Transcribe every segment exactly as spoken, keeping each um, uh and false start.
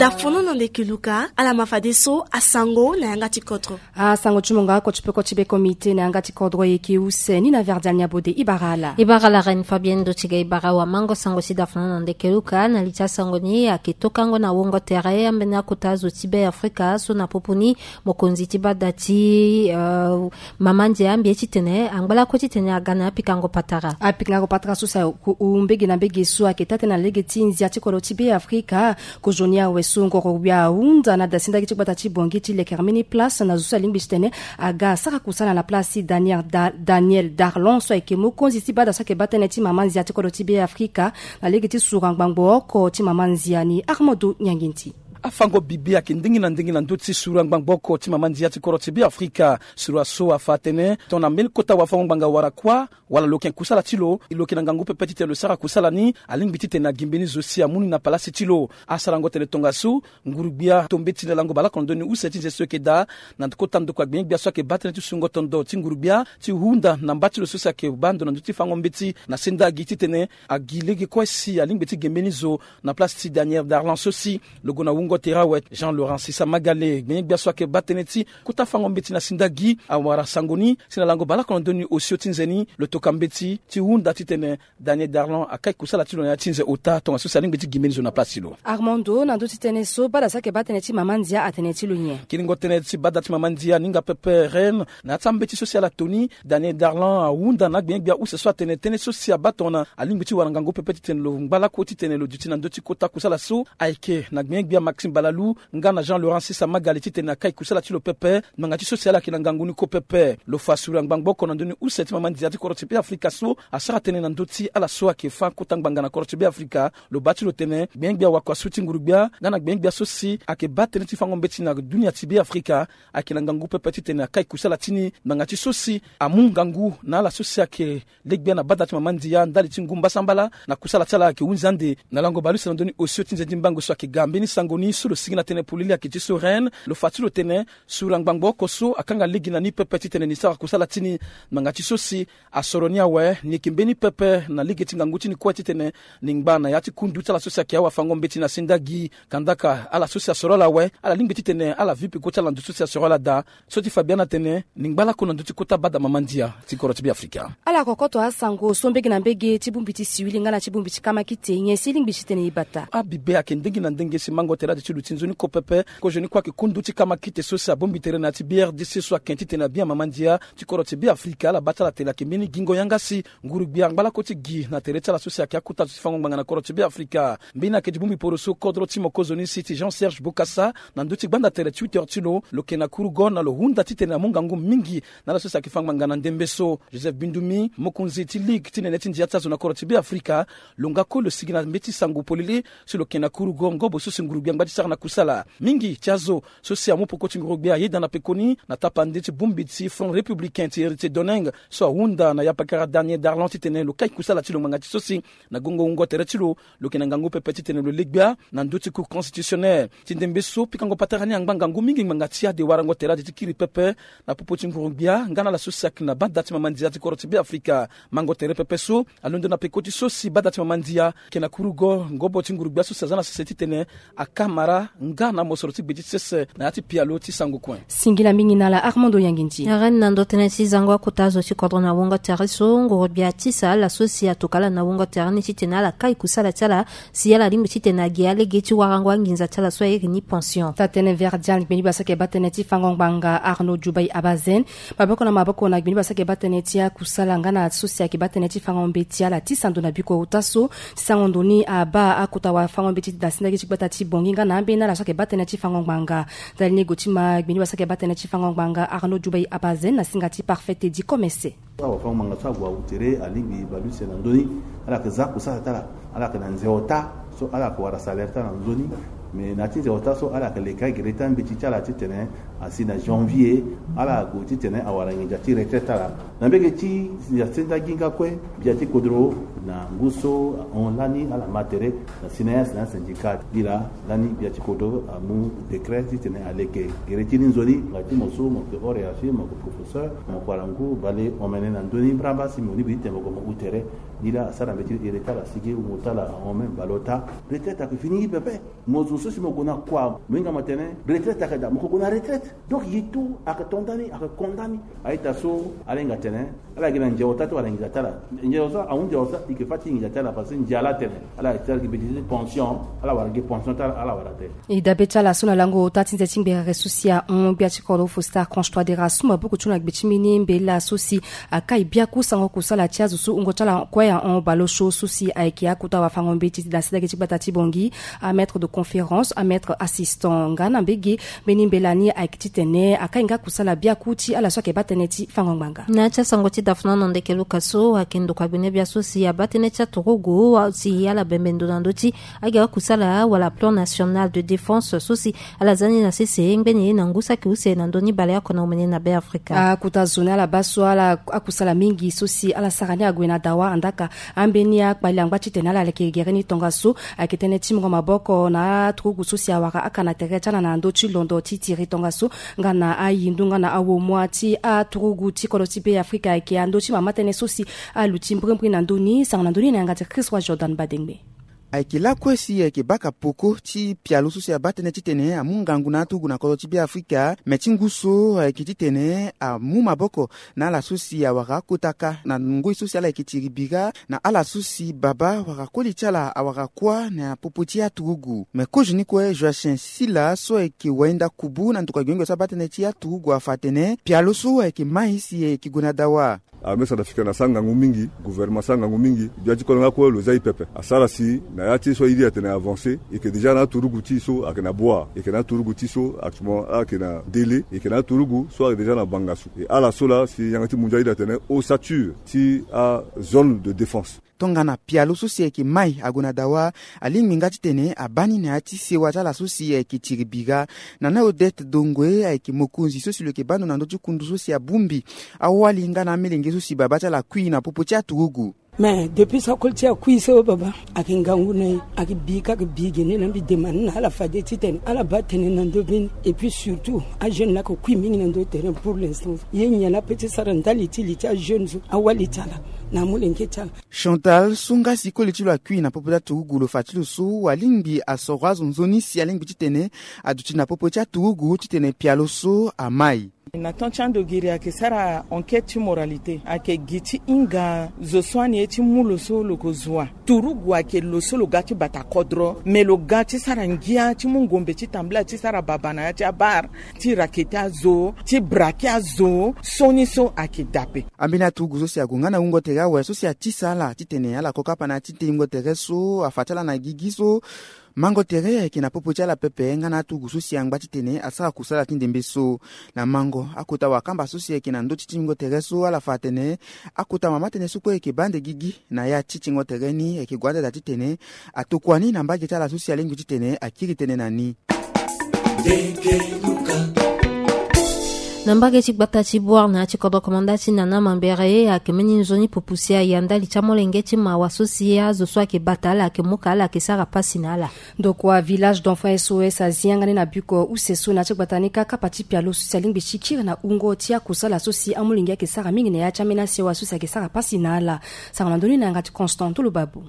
Dafono na ndeke luka ala ma fadeso asango na yanga ti kodro. Asango ti monga oko ti peko ti be komite na yanga ti kodro eke use ni na verdial ni abode ibara ala. Ibara ala reine fabienne do ti ga ibara wamango sango ti dafono na ndeke luka na li ti asango ni ake tokango na wongo tere ambeni akota zo ti be afrika so na popo ni mokonzi ti bada ti mama ndia ambie titene angbalako titene aga na apikango patara. Apikango patara so si ahu mbege na mbege so ayeke taa tënë na lege ti ndia ti kodro ti be afrika. Kozoni awe so ngoro wia ahunda na dasindaki ti gbata ti bongi ti lekere mbeni place na zo so alingbi titene aga asara kusala na place ti daniel darlon so ayeke mokonzi ti bada so ayeke baa tënë ti mama ndia ti kodro ti be afrika na lege ti sura ngbangbo oko ti mama ndia ni armando nyanginti. Afango bibe ayeke ndenge na ndenge na ndö ti sura ngbangbo oko ti mama ndia ti kodro ti be afrika. Sura so afa atene tongana mbeni kota wafango ngbanga wara kuâ wala lo yeke kusala ti lo lo yeke na ngangu pepe titene lo sara kusala ni. Alingbi titene agi mbeni zo si amu ni na palasi ti lo. Asarango tene tongaso ngurugbia to mbeti na lango baleoko na ndö ni use ti nze so eke daa na kota ndokua gbengbe gbia so ayeke baa tënë ti sungo tondo ti ngurugbia ti hunda na mba ti lo so si ayeke baa ndo na ndö ti fango mbeti na sendagi titene agi lege kue si alingbi ti ge mbeni zo na place ti daniel darlon so si lo gue na wungo tere awe jean laurent sisa magale gbengbe gbia so ayeke baa tënë ti kota fango mbeti na sendagi awara sango ni si na lango baleoko na ndö ni osio ti nze ni lo toka mbeti ti hunda titene daniel darlon akai kusala ti lo na ya ti nze ota tongaso si alingbi ti gi mbeni zo na place ti lo. Armando na ndö ti tënë so bada so ayeke baa tënë ti mama ndia atene ti lo nyen? Kiringo tënë ti bada ti mama ndia aninga pepe reine na ya ti ambeti so si ala to ni daniel darlon ahunda na agbengbe gbia use so atene tënë so si abaa tongana alingbi ti wara ngangu pepe titene lo ngba lako titene lo duti na ndö ti kota kusala so ayeke na gbengbe gbia maxime balalu nga na jean laurent sisa magale titene akai kusala ti lo pepe. Ngbanga ti so si ala yeke na ngangu ni ko pepe lo fa sura ngbangbo oko na ndö ni use ti mama ndia ti kodro ti be afrika so asara tënë na ndö ti ala so ayeke fâ kota ngbanga na kodro ti be afrika. Lo baa ti lo tene gbengbe gbia wakua so ti ngurugbia nga na gbengbe gbia so si ayeke baa tënë ti fango mbeti na dunia ti be afrika ayeke na ngangu pepe titene akai kusala ti ni ngbanga ti so si amu ngangu na ala so si ayeke legbia na bada ti mama ndia ndali ti ngu mbasambala na kusala ti ala ayeke hunzi ande. Na lango baleuse na ndö ni osio ti nze ti mbango so ayeke ga mbeni sango ni so lo sigi na tënë polele ayeke ti so reine lo fa ti lo tene sura ngbangbo oko so akanga lege na ni pepe titene ni sara kusala ti ni. Ngbanga ti so si asoro ni awe ni yeke mbeni pepe na lege ti ngangu ti ni kue titene ni ngba na ya ti kundu ti ala so si ayeke awafango mbeti na sendagi kandaka ala so si asoro ala awe ala lingbi titene ala vi peko ti ala na ndo so si asoro ala daa. So ti fa biani atene ni ngba lako na ndö ti kota bada mama ndia ti kodro ti be afrika. Ala kokoto asango so mbege na mbege ti bongbi ti siwili nga na ti bongbi ti kamakite nyen si e lingbi titene e bata? Abibe ayeke ndenge na ndenge si mango tere ade ti luti nzoni ko pepe. Kozoni kue ayeke kundu ti kamakite so si abongbi tere na ya ti brdc so ayeke titene abia mama ndia ti kodro ti be afrika ala baa ti ala tene ayeke mbeni gingo yanga si ngurugbia angba lako ti gi na tere ti ala so si ayeke akota zo ti fango ngbanga na kodro ti be afrika. Mbeni ayeke ti bongbi poro so kodro ti mokozoni si ti jean serge bokasa na ndö ti gbanda tere twitter ti lo lo yeke na kurugo na lo hunda titene amu ngangu mingi na ala so si ayeke fa ngbanga na ndembe so joseph bindumi mokonzi ti ligue ti nene ti ndia ti azo na kodro ti be afrika. Lo nga kue lo sigi na mbeti sango polele si lo yeke na kurugo ngobo so si ngurugbia angba ti sara na kusala mingi ti azo so si amu poko ti ngurugbia ayeda na pekoni na tapande ti bongbi ti front républicain ti héritier doneng so ahunda na yapakara daniel darlon titene lo kai kusala ti lo ngbanga ti so si na gongo wungo tere ti lo lo yeke na ngangu pepe titene lo legbia na ndö ti cour constitutionnel. Ti ndembe so pikango patara ni angba ngangu mingi ngbanga ti ade warango tere ade ti kiri pepe na popo ti nguru-gbia nga na ala so si ayeke na banda ti mama ndia ti kodro ti be afrika. Mango tere pepe so alondo na peko ti so si banda ti mama ndia ayeke na kurugo ngobo ti nguru-gbia so si aza na sese titene akamara nga na mosoro ti gbe ti sese na ya ti pialo ti sango kue. Singila mingi na ala armando yanginti. Arène na ndo tënë ti zango akota zo ti kodro na wungo tere so nguru-gbia atisa ala so si atoka ala na wungo tere ni titene ala kai kusala ti ala si ala lingbi titene agi alege ti warango anginza ti ala so airi ni pension. Taa-tënë verdial gbeni basa ayeke baa tënë ti fango ngbanga arnaud djubai abazen maboko na maboko na gbeni basa ayeke baa tënë ti akusala nga na so si ayeke baa tënë ti fango mbeti ala ti sando na biko ota so ti sango ndo ni abaa akota wafango mbeti ti dasi ndaki ti gbata ti bongi nga na ambeni ala so ayeke baa tënë ti fango ngbanga. Ndali ni go ti ma gbeni basa ayeke baa tënë ti fango ngbanga arnaud djubai abazen na singa ti parfait tedi komese. Awafango-ngbanga so ague awu tere alingbi baleuse na ndö ni. Ala yeke za kusala ti ala. Ala yeke na nze ota so ala yeke wara salaire ti ala na nzoni. Me na ya ti nze ota so ala yeke leke agere ti ambeti ti ala titene asi na janvier ala gue titene awara nginza ti retraite ti ala. Na mbege ti ndia senda gi nga kue gbia ti kodro na ngu so ahon lani ala ma tere na si na ya si na ya syndicat. Gi laa lani gbia ti kodro amu décret titene aleke gere ti ni nzoni. Nga ti mo so mo yeke hors hiérarchie mo yeke professeur mo yeke wara ngu bale omene na ndö ni mbramba si mo ni bi titene mo gue mo hu tere. Ni laa asara mbeti e retard asigi wungo ti ala ahon même baleota. Retraite ayeke fini ye pepe. Mo zo so si mo gue na kua mo hinga mo atene retraite ayeke daa, mo yeke gue na retraite. Donc ye tout ayeke to nda ni, ayeke ko nda ni. A-ita so ala hinga atene ala yeke na nze ota ti wala nginza ti ala. Nze ota so ahunzi ota e yeke fâ ti nginza ti ala parce que nze ala atene ala yeke ti ala yeke mbeti ti pension. Ala wara gi pension ti ala, ala wara te. E dabe ti ala so na lango ota ti nze ti ngberere so si ahon gbia ti kodro Faustin Archange Touadéra so maboko ti lo na gbe ti mbeni mbela so si akai biaku sango kusala ti azo so wungo ti ala kue ahon baleosio so si ayeke akota wafango-mbeti na sendege ti gbata ti Bangui, amaître de conférence, amaître assistant. Nga na mbege mbeni mbela ni ayeke titene akai nga kusala biaku ti ala so ayeke baa tënë ti fango ngbanga. Na ya ti asango ti dafuna na ndeke luka so ayeke ndokua gbene bia so si abaa tënë ti aturugu si ala bembe ndo na ndö ti agi akusala wala plan national de défense so si ala za ni na sese ngbeni na ngu saki use na ndö ni baleoko na omene na Beafrika. Akota zo ni ala baa so ala akusala mingi so si ala sara ni ague na dawa, andaka ambeni akpali angba titene ala leke gere ni tongaso ayeke tënë ti mungo maboko na aturugu so si awara aka na tere ti ala na ndö ti londo ti tiri tongaso nga na ayindu nga na awomua ti aturugu ti kodro ti Beafrika ayeke na ndö ti mama tënë so si aluti mbrimbri na ndö ni. Sango na ndö ni na yanga ti Christ Roi Jordan Badengbe. Ayeke lakue si ayeke baka peko ti pialo so si abaa tënë titene amu ngangu na aturugu na kodro ti Beafrika. Me ti ngu so ayeke titene amu maboko na ala so si awara akota ka na ngoi so si ala yeke tiri bira na ala so si baba wala koli ti ala awara kuâ na popo ti aturugu. Me kozo ni kue Joachim Sila so ayeke wainda kubu na ndokua gbenyogbia so abaa tënë ti aturugu afa atene pialo so ayeke mai si ayeke gue na dawa. Armée centrafricaine asara ngangu mingi, gouvernement asara ngangu mingi, gbia ti kodro nga kue lo za e pepe. Asara si na ya ti so airi atene avancé, e yeke déjà na aturugu ti e so ayeke na Boa, e yeke na aturugu ti e so actuellement ayeke na Délé, e yeke na aturugu so ayeke déjà na Bangassou. E ala so laa si yanga ti mundu airi atene ossature ti azone de défense. Tongana pialo so si ayeke mai ague na dawa, alingbi nga titene abaa ni na ya ti sewa ti ala so si ayeke tiri bira. Nana Odette Dongwe ayeke mokonzi so si lo yeke baa ndo na ndö ti kundu so si abongbi awali nga na amelenge so si babâ ti ala akui na popo ti aturugu. Mais depuis so akoli ti e akui so baba ayeke ngangu na e, ayeke bi kâ, ayeke bi gene na mbi demande na ala fade titene ala baa tënë na ndö mbeni. Et puis surtout ajeune laa ayeke kui mingi na ndö ti terrain pour l'instant. Ye nyen laa apeut ti sara ndali ti li ti ajeune so, awali ti ala na amolenge ti ala. Chantal so nga si koli ti lo akui na popo ti aturugu lo fa ti lo so alingbi asoro azo nzoni si alingbi titene aduti na popo ti aturugu titene pialo so amai. Na temps ti ando giri ayeke sara enquête ti moralité, ayeke gi ti hinga zo so ani ye ti mu lo so lo ko zua. Turugu ayeke lo so lo ga ti bata kodro, me lo ga ti sara ngia ti mu ngombe ti tambula ti sara baba na ya ti abar, ti rakete azo, ti brake azo, sioni so ayeke dape. Ambeni aturugu so si ague nga na wungo tere awe so si atisa ala titene ala ko kapa na ya ti te wungo tere so afa ti ala na gigi so. Mango tere ayeke na popo ti ala pepe nga na aturugu so si angba titene asara kusala ti ndembe so. Na mango akota wakamba so si ayeke na ndö ti tingo tere so ala fa atene akota mama tënë so kue ayeke baa ande gigi na ya ti tingo tere ni ayeke gue ande daa titene atokua ni na mbage ti ala so si alingbi titene akiri tënë na ni. Na mbage ti gbata ti Bouar na ya ti kodro komanda ti Nana Mambere ayeke mbeni nzoni pupu si aya ndali ti amolenge ti mawa so si azo so ayeke bata ala ayeke mu ka ala ayeke sara pasi na ala. Ndokua village d'enfants S O S azi yanga ni na biko use so na ya ti gbata ni kâ kapa ti pialo so si alingbi ti kiri na wungo ti akusala so si amolenge ayeke sara mingi na ya ti ambeni asewa so si ayeke sara pasi na ala. Sara na ndö ni na yanga ti Constant Ntulubabu.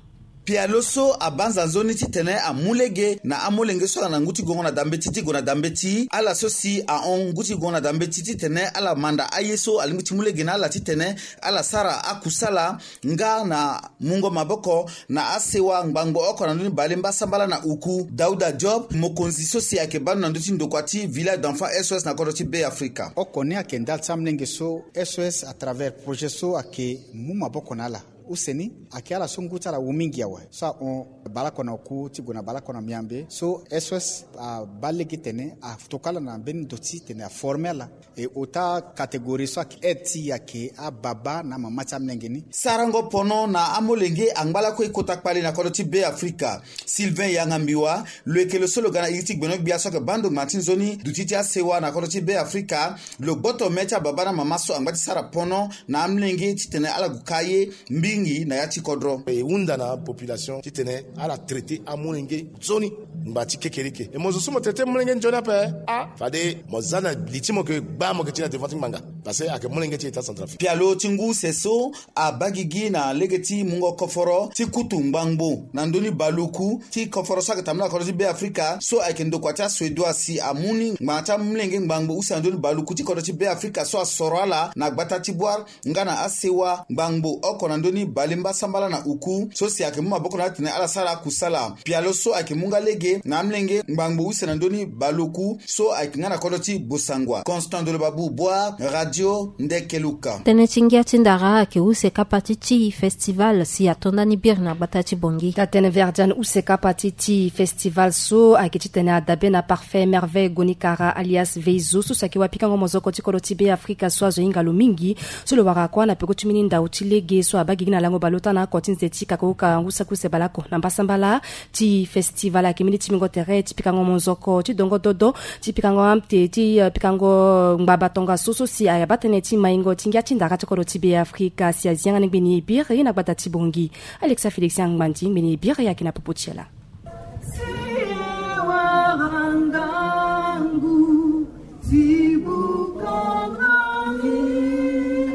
Pialo so abanza nzoni titene amu lege na amolenge so ala na ngu ti gongo na dambeti ti gue na dambeti, ala so si ahon ngu ti gongo na dambeti titene ala manda aye so alingbi ti mu lege na ala titene ala sara akusala nga na mungo maboko na asewa ngbangbo oko na ndö ni bale mbasambala na uku. Dauda Job, mokonzi so si ayeke baa ndo na ndö ti ndokua ti village d'enfants S O S na kodro ti Beafrika. Oko ni ayeke ndali ti amolenge so S O S à travers projet so ayeke mu maboko na ala. Use ni ayeke ala so ngu ti ala wu mingi awe. So ahon baleoko na oku ti gue na baleoko na miambe. So S O S abaa lege titene atokua ala na mbeni ndo ti titene aforme ala. E ota catégorie so ayeke aide ti e ayeke ababa na amama ti amolenge ni. Sarango pono na amolenge angba lakue e kota kpale na kodro ti Beafrika. Sylvain Yanga Mbiwa, lo yeke lo so lo ga na iri ti gbenyo-gbia so ayeke baa ndo ngba ti nzoni duti ti asewa na kodro ti Beafrika. Lo gboto me ti ababa na amama so angba ti sara pono na amolenge titene ala gue ka ye mingi na ya ti kodro. E hunda na population titene ala traité amolenge nzoni. Ngba ti kekereke e mo zo so mo tene ti molenge nzoni ape. Ah, fade mo za na li ti mo ke gba mo ke ti na devant ti ngbanga. Parce que ayeke molenge ti état centrafrique. Pialo ti ngu use so abaa gigi na lege ti mungo koforo ti kutu ngbangbo na ndö ni baluku ti koforo so ayeke tambula na kodro ti Beafrika so ayeke ndokua ti asuédois si amu ni ngbanga ti amolenge ngbangbo use na ndö ni baluku ti kodro ti Beafrika so asoro ala na gbata ti Bouar nga na asewa ngbangbo oko na ndö ni bale mbasambala na uku so si ayeke mu maboko na ala titene ala sara kusala. Pialo so ayeke mu nga lege na amolenge ngbangbo use na ndö ni baluku so ayeke nga na kodro ti Bossangoa. Constant Dolobabu Bouar, Radio Ndekeluka. Tënë ti ngia ti ndara ayeke use kapa ti Tii Festival si ato ndani biri na gbata ti Bangui. Taa tënë Verdiane use kapa ti Tii Festival so ayeke titene adabe na Parfait Merveille Gonikara alias Veizo so si ayeke wapikango mozoko ti kodro ti Beafrika so azo hinga lo mingi. So lo wara kua na peko ti mbeni ndau ti lege so abaa gigi na lango baleota na oko ti nze ti kakuruka ngu saki use baleoko na mbasambala. Tii Festival ayeke mbeni timbingo tere ti pikango mozoko ti dongo dodo ti pikango amte ti, eh, pikango ngbaba tongaso so si abaa tënë ti maingo ti ngia ti ndara ti kodro ti Beafrika si azi yanga ni ngbeni e biri na gbata ti Bangui. Alexa Félix Angbandi ngbeni e biri ayeke na popo ti ala.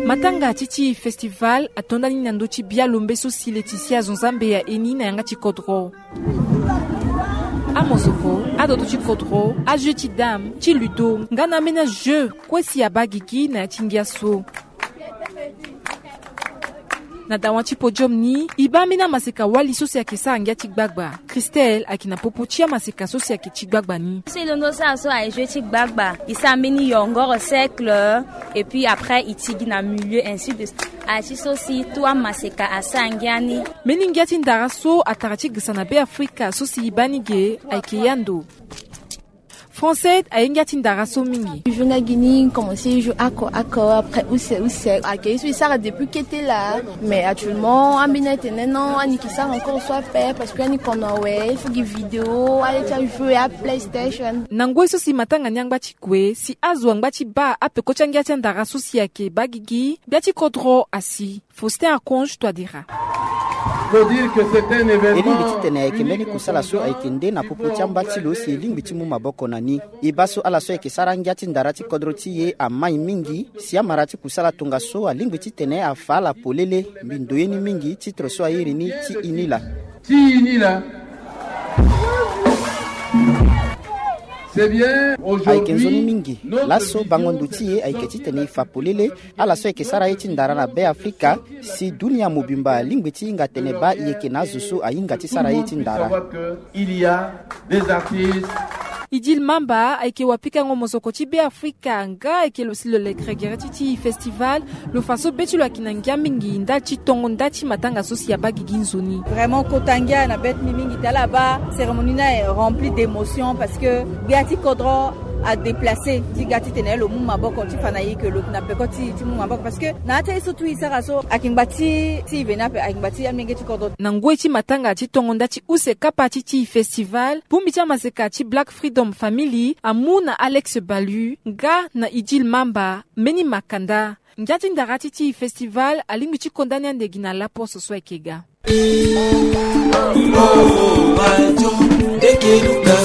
Matanga ti Tii Festival ato ndani na ndö ti bia lombe so si Laetitia Zonzambe aye ni na yanga ti kodro. Amozoko, adodo ti kodro, ajeu ti dame, ti ludo nga na ambeni ajeu kue si abaa gigi na ya ti ngia so. Na dawa ti podium ni e baa mbeni amaseka wali so si ayeke sara ngia ti gbagba. Christelle ayeke na popo ti amaseka so si ayeke ti gbagba ni. So e londo sara so aye jeu ti gbagba, e sara mbeni yongoro cercle, et puis après e ti gi na milieu, ainsi de suite. Aye ti so si tout amaseka asara ngia ni. Mbeni ngia ti ndara so atara ti girisa na Beafrika so si e baa ni ge ayeke yando. Français aye ngia ti ndara so mingi. Joue nga gi ni, commencé joue ako ako, après use use. Ayeke ye so e sara depuis kete laa. Mais actuellement ambeni atene non, ani yeke sara encore so ape parce que ani kono awe, il faut gi vidéo, ale ti ajeu ya PlayStation. Na ngoi so si matanga ni angba ti kue si azo angba ti baa apeko ti angia ti andara so si ayeke baa gigi, gbia ti kodro asi. Faustin Archange Touadéra. E lingbi titene ayeke mbeni kusala so ayeke nde na popo ti amba ti lo si e lingbi ti mu maboko na ni. E baa so ala so ayeke sara angia ti ndara ti kodro ti e amai mingi si amara ti kusala tongaso alingbi titene afa ala polele. Mbi ndoye ni mingi titre so a iri ni Ti Inila. Ti Inila. Ayeke nzoni mingi. Laso bango ndo ti e ayeke titene e fa polele ala so ayeke sara ye ti ndara na Beafrika si dunia mobimba alingbi ti hinga atene baa e yeke na azo so ahinga ti sara ye ti ndara. Idil Mamba ayeke wapikango mozoko ti Beafrika nga ayeke lo si lo lekere gere ti Tii Festival. Lo fa so be ti lo ayeke na ngia mingi ndali ti tongo nda ti matanga so si abaa gigi nzoni. Vraiment kota ngia na be ti mbi mingi ti ala abaa cérémonie ni aye rempli d'émotion parce que gbia ti kodro adéplacer ti ga titene lo mu maboko ti fa na e ke lo yeke na peko ti e ti mu maboko parce que na ya ti aye so tout e sara so ayeke ngba ti e veni ape, ayeke ngba ti amenge ti kodro. Na ngoi ti matanga ti tongo nda ti use kapa ti Tii Festival, bongbi ti amaseka ti Black Freedom Family amu na Alex Balu nga na Idil Mamba mbeni makanda. Ngia ti ndara ti Tii Festival alingbi ti konda ni ande gi na laposo so ayeke ga.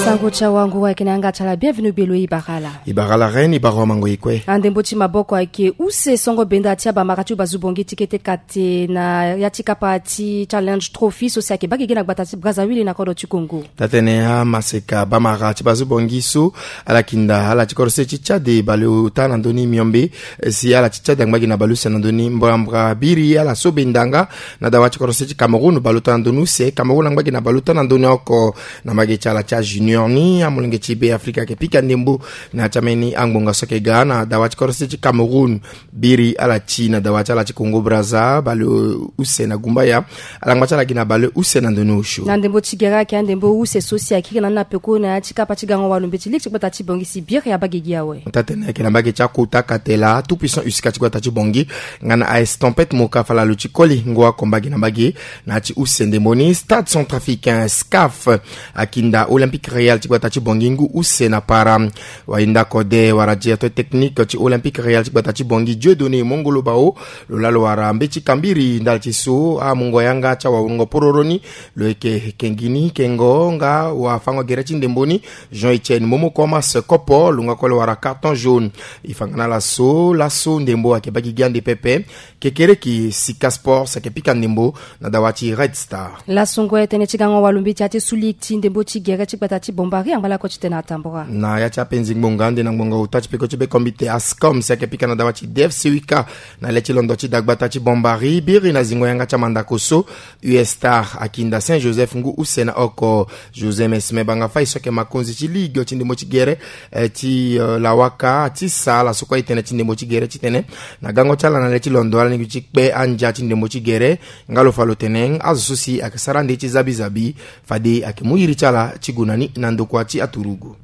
Sango ti awango ayeke na yanga ti ala, bienvenu gbe lo e bara ala. E bara ala reine, e bara wamango e kue. Andembo ti maboko ayeke use songo benda ti abamara ti ubazu bongi ti kete kate na ya ti kapa ti Challenge Trophy so si ayeke baa gigi na gbata ti Brazzaville na kodro ti Congo. Taa tënë amaseka bamara ti bazu bongi so ala kinda ala ti kodro se ti Tchad baleota na ndö ni miombe, si ala ti Tchad angba gi na baleuse na ndö ni mbrambra biri ala so benda nga na dawa ti kodro se ti Cameroun baleota na ndö ni use. Cameroun angba gi na baleota na ndö ni oko. Na mbage ti ala ti ajunior ni amolenge ti Beafrika ayeke pika ndembo na ya ti ambeni angbonga so ayeke ga na dawa ti kodro se ti Cameroun. Biri ala ti na dawa ti ala ti Congo Brazza baleuse na gumbaya. Ala ngba ti ala gi na baleuse na ndö ni osio. Na ndembo ti gere ayeke andembo use so si akiri na ni na peko na ya ti kapa ti gango walumbe ti lege ti gbata ti bongi si biri abaa gigi awe. Taa tënë ayeke na mbage ti akota katela tout puissant usika ti gbata ti bongi nga na aes tempête moka falalo ti koli ngu oko mbage na mbage. Na ya ti use ndembo ni Stade Centrafricain, SCAF, Akinda Olympique Real ti gbata ti Bongi ngu use na para. Wainda kode wara directeur technique ti Olympique Real ti gbata ti Bongi, Dieudonné Mongolo Bao, lo laa lo wara mbeti kambiri ndali ti so amungo yanga ti awawurungo pororo ni. Lo yeke kengi ni kengo nga wafango gere ti ndembo ni, Jean Etienne Momo Komas Kopo, lo nga kue lo wara carton jaune. E fa nga na laso laso ndembo ayeke baa gi gi ande pepe. Kekereki Sika Sports ayeke pika ndembo na dawa ti Red Star. Laso ngoi tënë ti gango walombeti ya ti sulik ti ndembo ti gere ti gbata ti Bombari angba lakue ti tene atambora. Na ya ti apenzi ngbonga ande na ngbonga ota ti peko ti be kombite Ascom si ayeke pika na dawa ti D F C Wika. Na le ti londo ti dagbata ti Bombari biri na zingo yanga ti amandako so, U S Star akinda Saint Joseph ngu use na oko. José Mesme Bangafai so ayeke makonzi ti ligue ti ndembo ti gere, eh, ti, eh, lawaka ti sa ala so kue e tene ti ndembo ti gere titene na gango ti ala na le ti londo ala ni gi ti kpe andia ti ndembo ti gere. Nga lo fa lo tene azo so si ayeke sara ande ti zabizabi, fade ayeke mu iri ti ala ti gue na ni na ndokua ti aturugu.